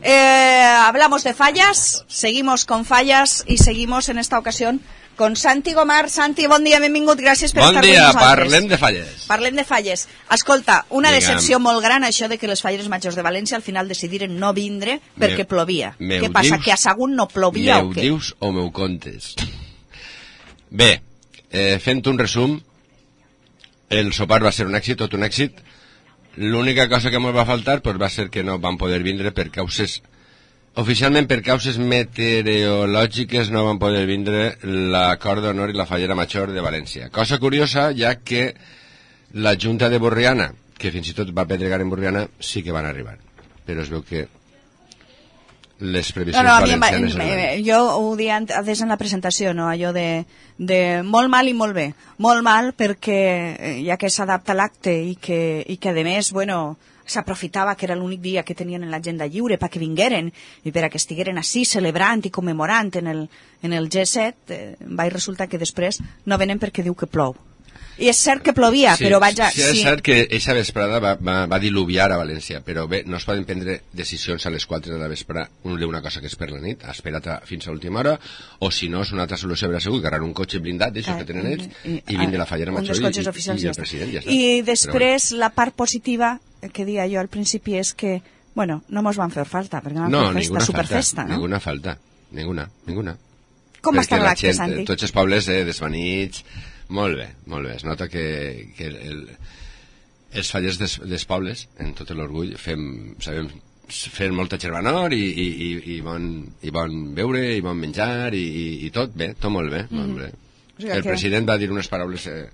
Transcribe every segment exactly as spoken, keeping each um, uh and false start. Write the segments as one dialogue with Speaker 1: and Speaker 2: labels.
Speaker 1: Eh, hablamos de fallas, seguimos con fallas y seguimos en esta ocasión con Santi Gomar. Santi, bon dia, benvingut, gràcies per
Speaker 2: bon
Speaker 1: estar
Speaker 2: dia,
Speaker 1: amb nosaltres.
Speaker 2: Parlem de falles.
Speaker 1: Parlem de falles. Escolta, una
Speaker 2: Digue'm.
Speaker 1: decepció molt gran això de que les falleres majors de València al final decidiren no vindre perquè
Speaker 2: Me,
Speaker 1: plovia. Què passa, dius, que a Sagunt no plovia o què?
Speaker 2: Meu dius o meu contes? Bé, eh, fent un resum, el sopar va ser un èxit, tot un èxit. L'única cosa que ens va faltar pues, va ser que no van poder vindre per causes... Oficialment, per causes meteorològiques, no van poder vindre la Cor d'Honor i la Fallera Major de València. Cosa curiosa, ja que la Junta de Borriana, que fins i tot va pedregar en Borriana, sí que van arribar. Però es veu que les previsions
Speaker 1: no, no,
Speaker 2: valencianes...
Speaker 1: Va, eh, jo ho dia des en la presentació, no? Allò de, de molt mal i molt bé. Molt mal perquè ja que s'adapta l'acte i que, i que a més, bueno... s'aprofitava que era l'únic dia que tenien en l'agenda lliure perquè vingueren i per a que estigueren així celebrant i commemorant en el, en el G set, eh, va resultar que després no venen perquè diu que plou. I és cert que plovia,
Speaker 2: sí,
Speaker 1: però vaja...
Speaker 2: Sí, és sí. cert que aquesta vesprada va, va, va diluviar a València, però bé, no es poden prendre decisions a les quatre de la vesprada d'una cosa que és per la nit, espera't fins a l'última hora, o si no, és una altra solució, verà segur, agarrar un cotxe blindat, d'això que tenen ells, i, i vindre la Fallera Major i, i, i el president, ja està.
Speaker 1: I després, bueno, la part positiva que dia jo al principi és que, bueno, no mos van fer falta, perquè van
Speaker 2: no,
Speaker 1: fer festa, superfesta, no?
Speaker 2: Ninguna falta, ninguna, ninguna.
Speaker 1: Com va estar l'acte, Santi?
Speaker 2: Tots els pobles eh, desvanits, molt bé, molt bé. Es nota que, que el, el, els fallers des, dels pobles, en tot l'orgull, fem, sabem fer molta germanor i, i, i, i, bon, i bon beure i bon menjar i, i, i tot bé, tot molt bé, mm. molt bé. O sigui, el que... president va dir unes paraules eh,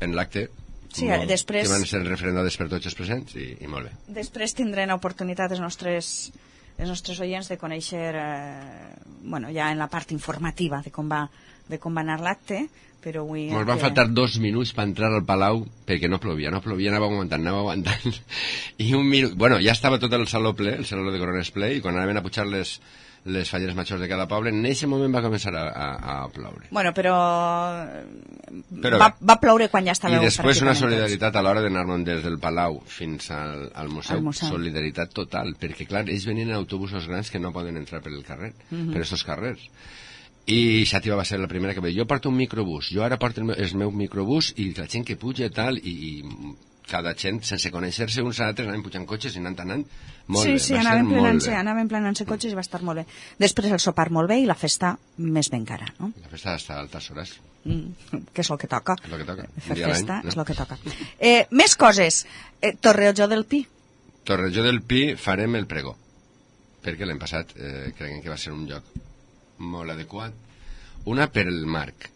Speaker 2: en l'acte
Speaker 1: sí,
Speaker 2: molt,
Speaker 1: després...
Speaker 2: que van ser referendades per tots els presents i, i molt bé.
Speaker 1: Després tindrem oportunitat els nostres, els nostres oients de conèixer eh, bueno, ja en la part informativa de com va, de com va anar l'acte, però avui...
Speaker 2: Ens van que... faltar dos minuts per entrar al Palau perquè no plovia, no plovia, anava aguantant, anava aguantant. I un minut... Bueno, ja estava tot el saló ple, el saló de Corones ple, i quan anaven a pujar les, les falleres majors de cada poble, en aquest moment va començar a, a, a ploure.
Speaker 1: Bueno, però...
Speaker 2: però
Speaker 1: va, va ploure quan ja estava...
Speaker 2: I després una solidaritat a l'hora d'anar-nos des del Palau fins al, al, museu, al museu, solidaritat total, perquè clar, ells venien en autobusos grans que no poden entrar per el carrer, mm-hmm. per aquests carrers. I Xàtiva va ser la primera que va dir, jo porto un microbús, jo ara porto el meu, el meu microbús i la gent que puja i tal, i, i cada gent sense conèixer-se uns a altres anaven pujant cotxes i anant anant molt
Speaker 1: sí,
Speaker 2: bé,
Speaker 1: sí,
Speaker 2: va
Speaker 1: anaven
Speaker 2: ser molt bé.
Speaker 1: Anaven planant-se cotxes i va estar molt bé. Després el sopar molt bé i la festa més ben cara, no?
Speaker 2: La festa està a altes hores.
Speaker 1: Mm, que és el que toca.
Speaker 2: És el que toca.
Speaker 1: Fer festa no? És el que toca. Eh, més coses. Eh, Torrejoó del Pi.
Speaker 2: Torrejoó del Pi farem el pregó, perquè l'any passat eh, creiem que va ser un lloc molt adequat. Una per el marc.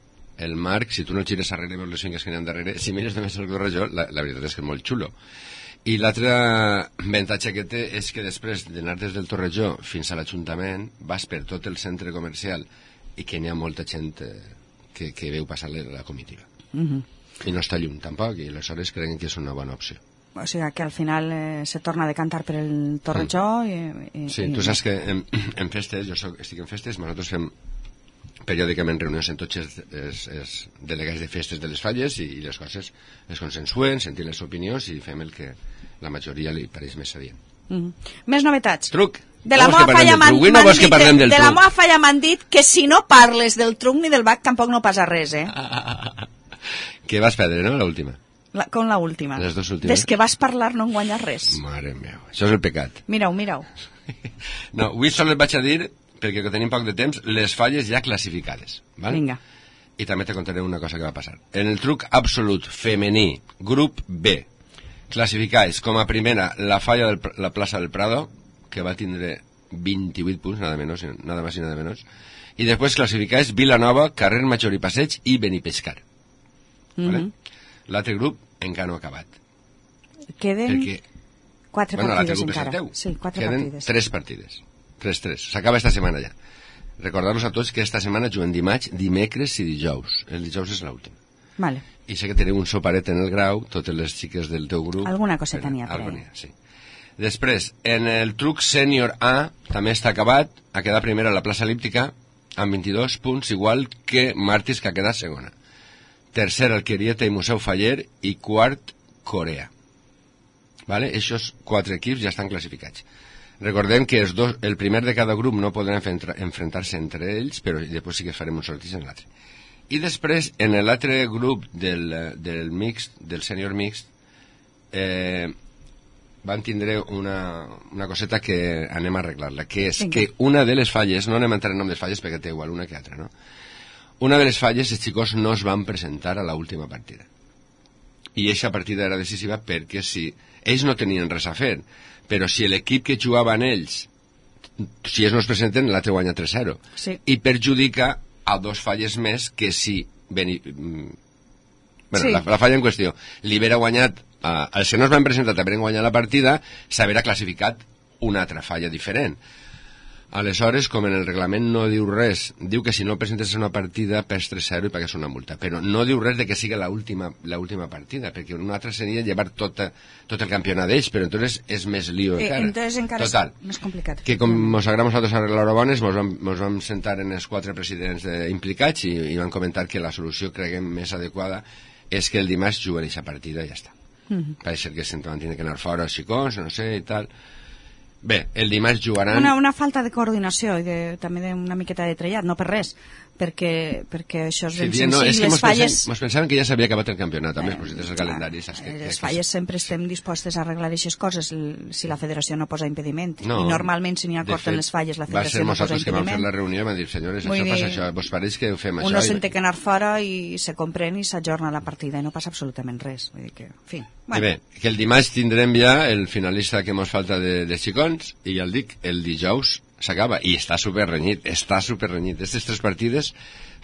Speaker 2: El marc, si tu no el gires darrere i veus les finques que n'hi ha darrere, si mires només el Torrejoó, la, la veritat és que és molt xulo. I l'altre avantatge que té és que després d'anar des del Torrejoó fins a l'Ajuntament vas per tot el centre comercial i que n'hi ha molta gent eh, que, que veu passar la comitiva. Mm-hmm. I no està lluny tampoc, i aleshores creiem que és una bona opció.
Speaker 1: O sigui que al final eh, se torna a decantar per el Torrejoó mm. i, i...
Speaker 2: Sí,
Speaker 1: i...
Speaker 2: tu saps que en, en festes, jo soc, estic en festes, nosaltres fem periòdicament reunions en tots els, els, els delegats de festes de les falles i, i les coses es consensuen, sentim les opinions i fem el que la majoria li pareix més adient.
Speaker 1: Mm-hmm. Més novetats.
Speaker 2: Truc.
Speaker 1: De la meva falla m'han dit, de, de la meva falla m'han dit que si no parles del truc ni del bac tampoc no passa res, eh?
Speaker 2: Que vas perdre, no, l'última?
Speaker 1: La, com la última.
Speaker 2: Les dues últimes.
Speaker 1: Des que vas parlar no en guanyes res.
Speaker 2: Mare meva, això és el pecat.
Speaker 1: Mira-ho, mira-ho.
Speaker 2: No, avui sols et vaig a dir, perquè que tenim poc de temps, les falles ja classificades. Val?
Speaker 1: Vinga.
Speaker 2: I també te contaré una cosa que va passar. En el truc absolut femení, grup B, classificats com a primera la falla de la plaça del Prado, que va tindre vint-i-vuit punts, nada menos, nada más y nada menos, i després classificats Vilanova, Carrer Major i Passeig i Benipescar. Mm-hmm. Vale? L'altre grup encara no ha acabat.
Speaker 1: Queden
Speaker 2: perquè,
Speaker 1: quatre
Speaker 2: bueno,
Speaker 1: partides encara. Sí, quatre
Speaker 2: Queden
Speaker 1: partides.
Speaker 2: tres partides. tres tres. S'acaba esta setmana ja. Recordar-vos a tots que esta setmana juguen dimarts, dimecres i dijous. El dijous és l'últim.
Speaker 1: Vale.
Speaker 2: I sé que teniu un soparet en el grau, totes les xiques del teu grup.
Speaker 1: Alguna coseta n'hi ha.
Speaker 2: Alguna, sí. Després, en el truc sènior A, també està acabat, ha quedat primera a la plaça elíptica, amb vint-i-dos punts, igual que Martis, que ha quedat segona. Tercer, Alquerieta i Museu Faller, i quart, Corea. Vale? Eixos quatre equips ja estan classificats. Recordem que els dos, el primer de cada grup no podran enfrontar-se entre ells, però després sí que farem un sorteig en l'altre. I després, en l'altre grup del, del mixt, del sènior mixt, eh, van tindre una, una coseta que anem a arreglar-la, que és Vinga. que una de les falles, no anem a entrar en nom de falles perquè té igual una que altra, no? Una de les falles, els xicos no es van presentar a l'última partida. I aquesta partida era decisiva perquè si ells no tenien res a fer, però si l'equip que jugaven ells, si ells no es presenten, l'altre guanya tres a zero.
Speaker 1: Sí.
Speaker 2: I perjudica a dos falles més que si... Beni... Bueno, sí. la, la falla en qüestió li haguera guanyat, uh, els que no es van presentar hagueren guanyat la partida, s'haguera classificat una altra falla diferent. Aleshores, com en el reglament no diu res, diu que si no presentes una partida perds tres a zero i pagues una multa, però no diu res de que sigui l'última l'última partida, perquè una altra seria llevar tot, tot el campionat d'ells, però entonces és més lío
Speaker 1: eh,
Speaker 2: encara.
Speaker 1: Entonces encara
Speaker 2: Total,
Speaker 1: és més complicat.
Speaker 2: Que com mos agrada nosaltres arreglar bones, mos vam, mos vam sentar en els quatre presidents de, implicats i, i van comentar que la solució, creguem, més adequada és que el dimarts juguen aquesta partida i ja està. Mm-hmm. Pareix ser que se'n van tenir que anar fora els xicons, no sé, i tal... Bé, el dimarts jugaran...
Speaker 1: Una, una falta de coordinació i de, també d'una miqueta de trellat, no per res, perquè, perquè això és ben
Speaker 2: sí,
Speaker 1: senzill.
Speaker 2: No, és que
Speaker 1: les
Speaker 2: mos
Speaker 1: falles...
Speaker 2: Pensem, mos pensaven que ja s'havia acabat el campionat, també, eh, però si tens el calendari... Saps que,
Speaker 1: les
Speaker 2: que,
Speaker 1: falles
Speaker 2: que...
Speaker 1: sempre estem dispostes a arreglar aquestes coses si la federació no posa impediment.
Speaker 2: No,
Speaker 1: I normalment, si n'hi ha acord en les falles, la federació no posa impediment. Va ser nosaltres que vam fer la reunió i vam dir, senyores, Vull
Speaker 2: això
Speaker 1: dir,
Speaker 2: passa això, vos pareix que ho fem això?
Speaker 1: Uno se'n té que anar fora i se comprèn i s'ajorna la partida i no passa absolutament res. Vull dir que, en fi...
Speaker 2: Bueno. I bé, que el dimarts tindrem ja el finalista que mos falta de, de xicons i ja el dic, el dijous s'acaba i està superrenyit, està superrenyit. Aquestes tres partides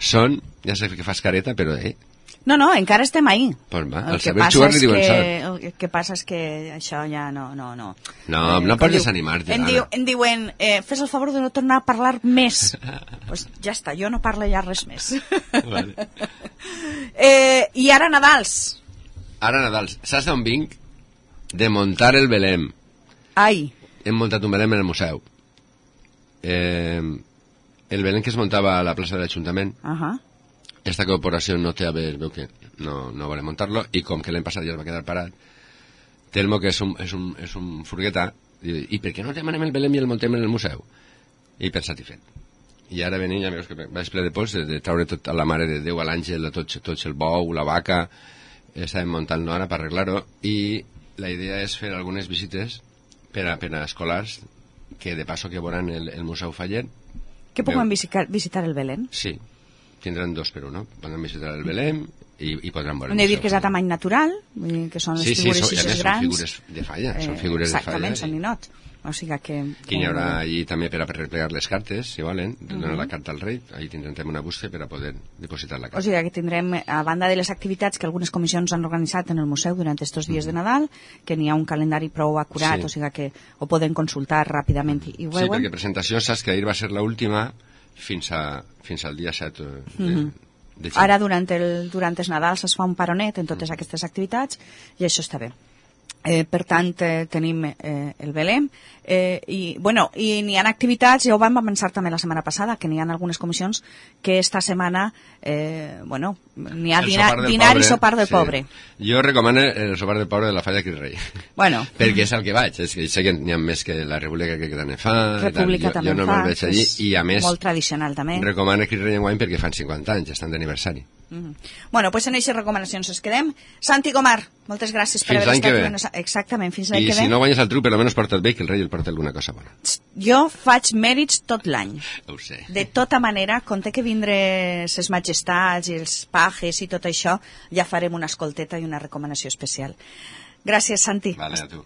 Speaker 2: són, ja sé que fas careta, però eh...
Speaker 1: No, no, encara estem ahí.
Speaker 2: Pues va,
Speaker 1: el,
Speaker 2: el
Speaker 1: que passa és que, el que passa és que això ja no... No, no,
Speaker 2: no, eh, no pots desanimar-te.
Speaker 1: Em, diu, em diuen, eh, fes el favor de no tornar a parlar més. Pues ja està, jo no parlo ja res més.
Speaker 2: Vale.
Speaker 1: eh, I ara Nadals.
Speaker 2: Ara Nadal, saps d'on vinc? De muntar el Belém.
Speaker 1: Ai.
Speaker 2: Hem muntat un Belém en el museu. Eh, el Belém que es muntava a la plaça de l'Ajuntament.
Speaker 1: Uh -huh.
Speaker 2: Esta corporació no té a veure, veu que no, no vol muntar-lo, i com que l'any passat ja es va quedar parat, Telmo, que és un, és un, és un furgueta, diu, i per què no demanem el Belém i el muntem en el museu? I pensat i fet. I ara venim, ja veus que vaig ple de pols, de, de traure tot a la Mare de Déu, a l'Àngel, a tots, tots el bou, la vaca... Estàvem muntant-lo ara per arreglar-ho i la idea és fer algunes visites per a, per a escolars que de passo que veuran el, el Museu Fallet.
Speaker 1: Que puguen visitar, visitar el Belém?
Speaker 2: Sí, tindran dos per un, no? Podran visitar el Belém i, i podran veure
Speaker 1: el Museu. Hem de dir que és a tamany natural, que són les
Speaker 2: sí,
Speaker 1: figures
Speaker 2: sí,
Speaker 1: així
Speaker 2: són,
Speaker 1: grans.
Speaker 2: són figures de falla, són figures
Speaker 1: eh,
Speaker 2: de falla.
Speaker 1: Exactament, són ninots. O sigui que...
Speaker 2: que hi haurà allí també per a replegar les cartes, si volen, donar uh -huh. la carta al rei, allí tindrem una bústia per a poder depositar la carta.
Speaker 1: O sigui que tindrem, a banda de les activitats que algunes comissions han organitzat en el museu durant aquests dies uh -huh. de Nadal, que n'hi ha un calendari prou acurat, sí. O sigui que ho poden consultar ràpidament i, i ho veuen.
Speaker 2: Sí, perquè presentació, saps que ahir va ser l'última fins, a, fins al dia set de, uh -huh. de
Speaker 1: Ara, durant, el, durant els Nadals es fa un paronet en totes uh -huh. aquestes activitats i això està bé. Eh, per tant, eh, tenim eh, el Belém eh, i, bueno, i n'hi ha activitats, ja ho vam avançar també la setmana passada, que n'hi ha algunes comissions que esta setmana eh, bueno, n'hi ha dinar, dinar pobre, i sopar del sí. pobre.
Speaker 2: Jo recomano el sopar del pobre de la Falla Cris Rei,
Speaker 1: bueno.
Speaker 2: perquè és el que vaig, és que sé que n'hi ha més que la República que també fa,
Speaker 1: República
Speaker 2: jo,
Speaker 1: també
Speaker 2: jo no
Speaker 1: fa,
Speaker 2: me'l veig allí, i a més
Speaker 1: molt tradicional també.
Speaker 2: Recomano Cris Rei enguany perquè fan cinquanta anys, estan d'aniversari.
Speaker 1: Mm-hmm. Bueno, doncs en aquestes recomanacions es quedem. Santi Gomar, moltes gràcies per haver estat aquí. Exactament, fins l'any
Speaker 2: que ve. I si no guanyes el truc, per almenys porta el bé, que el rei el porta alguna cosa bona.
Speaker 1: Jo faig mèrits tot l'any.
Speaker 2: Ho sé.
Speaker 1: De tota manera, com té que vindre ses majestats i els pajes i tot això, ja farem una escolteta i una recomanació especial. Gràcies, Santi.
Speaker 2: Vale, a tu.